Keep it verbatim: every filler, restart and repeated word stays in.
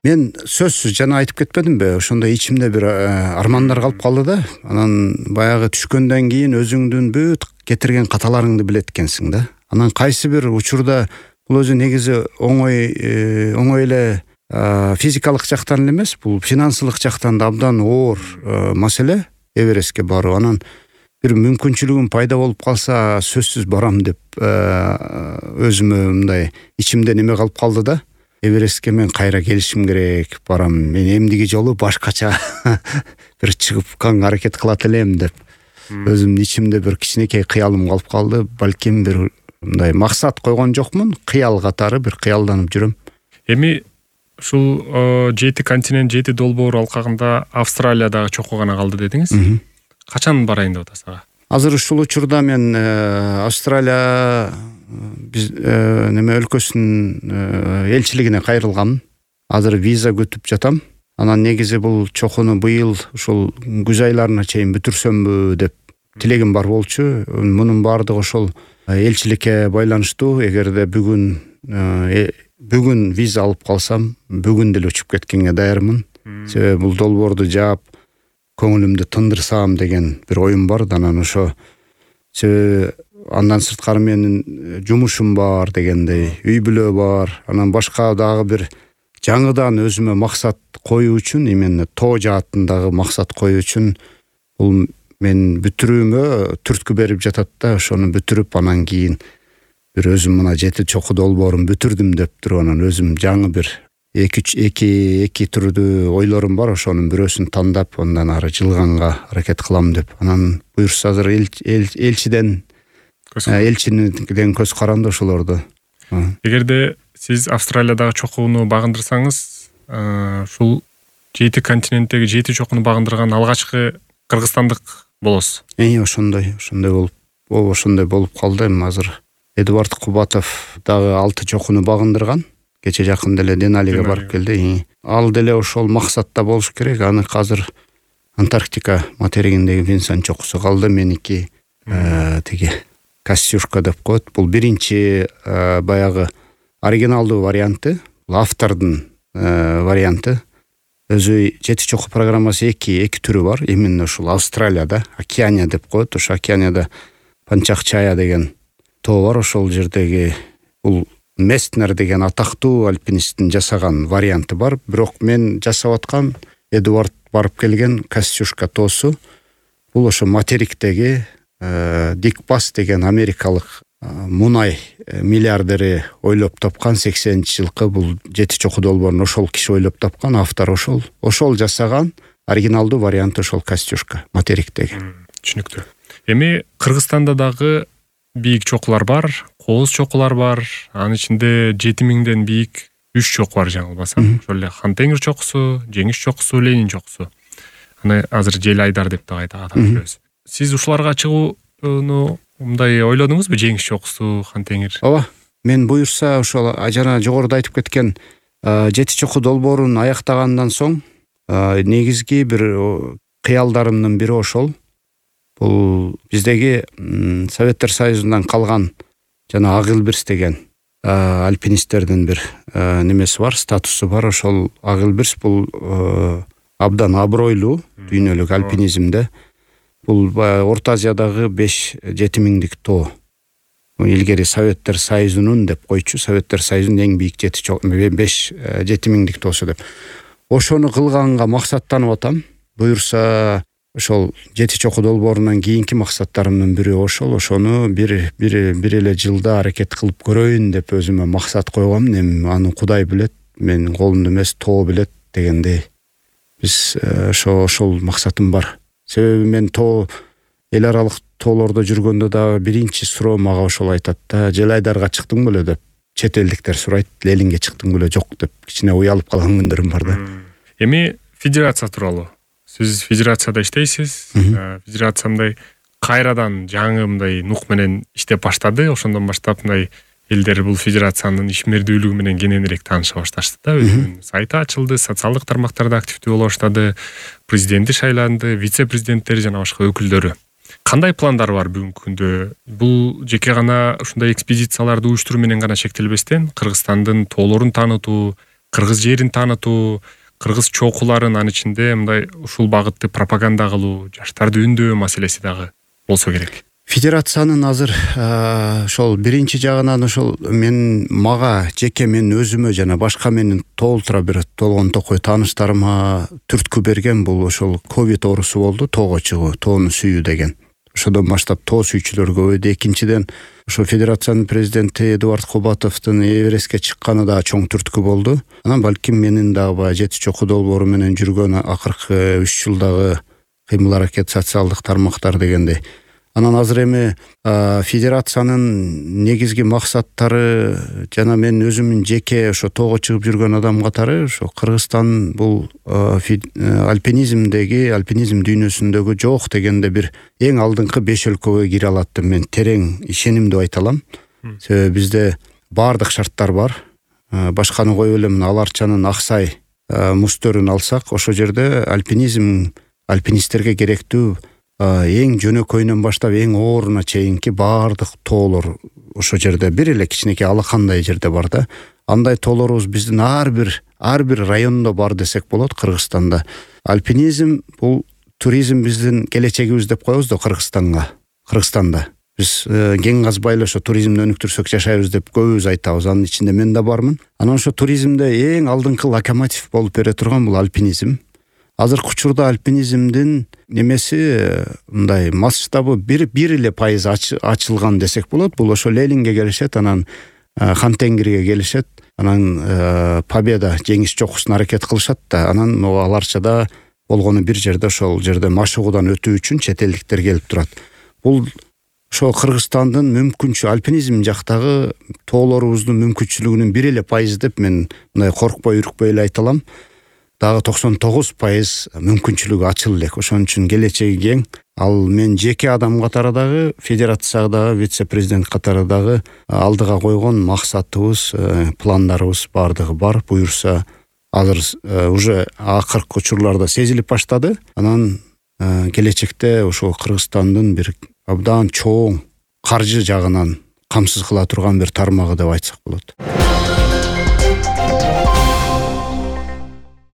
Мен сөзсүз жана айтып кетпедимби, ошондой ичимде бир армандар калып калды да. Анан баягы түшкөндөн кийин өзүңдүн бүт кетирген каталарыңды билет экенсиң да. Анан кайсы бир учурда бул өзү негизи оңой оңой эле физикалык жактан эле эмес, бул финансылык жактан да абдан оор маселе Эверестке баруу. Анан бир мүмкүнчүлүгүм пайда болуп калса сөзсүз барам деп өзүмө мындай ичимде неме калып калды да. Эверестке мен кайра келишим керек, барам. Мен эмдиги жолу башкача бир чыгып кан аракет кылат элем деп өзүмдүн ичимде бир кичинекей кыялым калып калды. Балким бир мындай максат койгон жокмун, кыял катары бир кыялданып жүрөм. Эми ушул жети континент, жети долбоор алкагында Австралиядагы чокуу гана калды дедиңиз. Качан барайын деп атасыз ага? Азыр ушул учурда мен Австралия биз неме өлкөсүнүн элчилигине кайрылгам. Азыр виза күтүп жатам. Анан негизи бул чокууну быйыл ушул күз айларына чейин бүтүрсөмбү деп тилегим бар болчу. Мунун баардыгы ошол элчиликке байланыштуу. Эгерде бүгүн бүгүн виза алып калсам, бүгүн деле учуп кеткенге даярмын. Себеби бул долбоорду жаап көңүлүмдү тындырсам деген бир оюм бар. Анан ошо себеби андан сырткары менин жумушум бар дегендей, үй бүлө бар. Анан башка дагы бир жаңыдан өзүмө максат коюу үчүн, именно тоо жаатындагы максат коюу үчүн бул мен бүтүрүүмө түрткү берип жатат да. Ошону бүтүрүп анан кийин бир өзүм мына жети чокуу долбоорун бүтүрдүм деп туруп анан өзүм жаңы бир эки эки эки түрдүү ойлорум бар. Ошонун бирөөсүн тандап андан ары жылганга аракет кылам деп. Анан буюрса азыр элчиден элчинин көз каранды ошолорду. Эгерде сиз Австралиядагы чокууну багындырсаңыз, ушул жети континенттеги жети чокууну багындырган алгачкы кыргызстандык болосуз. Э, ошондой, ошондой болуп, ошондой болуп калды. Эми азыр Эдуард Кубатов дагы алты чокууну багындырган. Кече жакын деле Деналиге барып келди. Ал деле ошол максатта болуш керек. Аны азыр Антарктика материгиндеги Винсон чокусу калды. Меники тиги Костюшка деп коет. Бул биринчи баягы оригиналдуу варианты, автордун варианты. Өзү жети чокуу программасы эки эки түрү бар. Именно ушул Австралияда, Океания деп коет. Ошо Океанияда Панчакчая деген тоо бар. Ошол жердеги бул Местнер деген атактуу альпинисттин жасаган варианты бар. Бирок мен жасап аткан Эдуард барып келген Костюшка тоосу. Бул ошо материктеги Дикбас деген америкалык мунай миллиардери ойлоп тапкан сексенинчи жылкы бул жети чокуу долбоорун ошол киши ойлоп тапкан, автор ошол. Ошол жасаган оригиналдуу варианты ошол Костюшка материктеги. Түшүнүктүү. Эми Кыргызстанда дагы бийик чокулар бар, кооз чокулар бар. Анын ичинде жети миңден бийик үч чокуу бар жаңылбасам. Ошол эле Хантеңир чокусу, Жеңиш чокусу, Ленин чокусу. Аны азыр Жел Айдар деп да атап жүрөбүз. Сиз ушуларга чыгууну мындай ойлодуңузбу? Жеңиш чокусу, Хантеңир. Ооба. Мен буюрса ошол жана жогоруда айтып кеткен жети чокуу долбоорун аяктагандан соң негизги бир кыялдарымдын бири ошол. Бул биздеги Советтер Союзунан калган жана Агылбирс деген альпинисттердин бир немеси бар, статусу бар. Ошол Агылбирс бул абдан абройлуу дүйнөлүк альпинизмде. Бул Орто Азиядагы беш жети миңдик тоо. Илгери Советтер Союзунун деп койчу, Советтер Союзунун эң бийик жети беш жети миңдик тоосу деп. Ошону кылганга максаттанып атам. Буюрса ошол жети чокуу долбоорунан кийинки максаттарымдын бири ошол. Ошону бир бир бир эле жылда аракет кылып көрөйүн деп өзүмө максат койгом. Эми аны Кудай билет, менин колумда эмес, тоо билет дегендей. Биз ошо ошол максатым бар. Себеби мен тоо эл аралык тоолордо жүргөндө дагы биринчи суроо мага ошол айтат да, Жел Айдарга чыктың беле деп. Чет элдиктер сурайт, Ленинге чыктың беле, жок деп. Кичине уялып калган күндөрүм бар да. Эми федерация тууралуу. Сиз федерацияда иштейсиз. Федерация мындай кайрадан жаңы мындай нук менен иштеп баштады. Ошондон баштап мындай элдер бул федерациянын ишмердүүлүгү менен кененирээк тааныша башташты да. Өзүнүн сайты ачылды, социалдык тармактарда активдүү боло баштады. Президенти шайланды, вице-президенттери жана башка өкүлдөрү. Кандай пландар бар бүгүнкү күндө? Бул жеке гана ушундай экспедицияларды уюштуруу менен гана чектелбестен, Кыргызстандын тоолорун таанытуу, кыргыз жерин таанытуу, кыргыз чокуларын анын ичинде мындай ушул багытты пропаганда кылуу, жаштарды үндөө маселеси дагы болсо керек. Федерациянын азыр ошол биринчи жагынан ошол мен мага жеке мен өзүмө жана башка менин толтура бир толгон токой тааныштарыма түрткү берген бул ошол ковид оорусу болду, тоого чыгуу, тоону сүйүү деген. Ошодон баштап тоо сүйүүчүлөр көбөйдү. Экинчиден ошо федерациянын президенти Эдуард Кубатовдун Эверестке чыкканы да чоң түрткү болду. Анан балким менин дагы баягы жети чокуу долбоору менен жүргөн акыркы үч жылдагы кыймыл аракет социалдык тармактар дегендей. Анан азыр эми федерациянын негизги максаттары жана мен өзүмүн жеке ошо тоого чыгып жүргөн адам катары ошо Кыргызстан бул альпинизмдеги, альпинизм дүйнөсүндөгү жок дегенде бир эң алдыңкы беш өлкөгө кире алат деп мен терең ишенимдүү айта алам. Себеби бизде баардык шарттар бар. Башканы коюп эле мына Ала Арчанын Аксай муздөрүн алсак, ошол жерде альпинизм альпинисттерге керектүү эң жөнөкөйүнөн баштап эң ооруна чейинки баардык тоолор ошол жерде бир эле кичинекей алакандай жерде бар да. Андай тоолорубуз биздин ар бир ар бир райондо бар десек болот Кыргызстанда. Альпинизм бул туризм биздин келечегибиз деп коебуз да Кыргызстанга. Кыргызстанда биз кен казбай эле ошо туризмди өнүктүрсөк жашайбыз деп көбүбүз айтабыз. Анын ичинде мен да бармын. Анан ошо туризмде эң алдыңкы локомотив болуп бере турган бул альпинизм. Азыркы учурда альпинизмдин немеси мындай масштабы бир бир эле пайыз ачылган десек болот. Бул ошо Ленинге келишет, анан Хантенгирге келишет, анан Победа жеңиш чокусуна аракет кылышат да, анан Ала Арчада болгону бир жерде ошол жерде машыгуудан өтүү үчүн чет элдиктер келип турат. Бул ошо Кыргызстандын мүмкүнчү альпинизм жактагы тоолорубуздун мүмкүнчүлүгүнүн бир эле пайызы деп мен мындай коркпой, үркпөй эле айта алам. Дагы токсон тогуз пайыз мүмкүнчүлүгү ачыл элек. Ошон үчүн келечеги кең. Ал мен жеке адам катары дагы, федерациядагы вице-президент катары дагы алдыга койгон максатыбыз, пландарыбыз баардыгы бар. Буюрса азыр уже акыркы учурларда сезилип баштады. Анан келечекте ошол Кыргызстандын бир абдан чоң каржы жагынан камсыз кыла турган бир тармагы деп айтсак болот.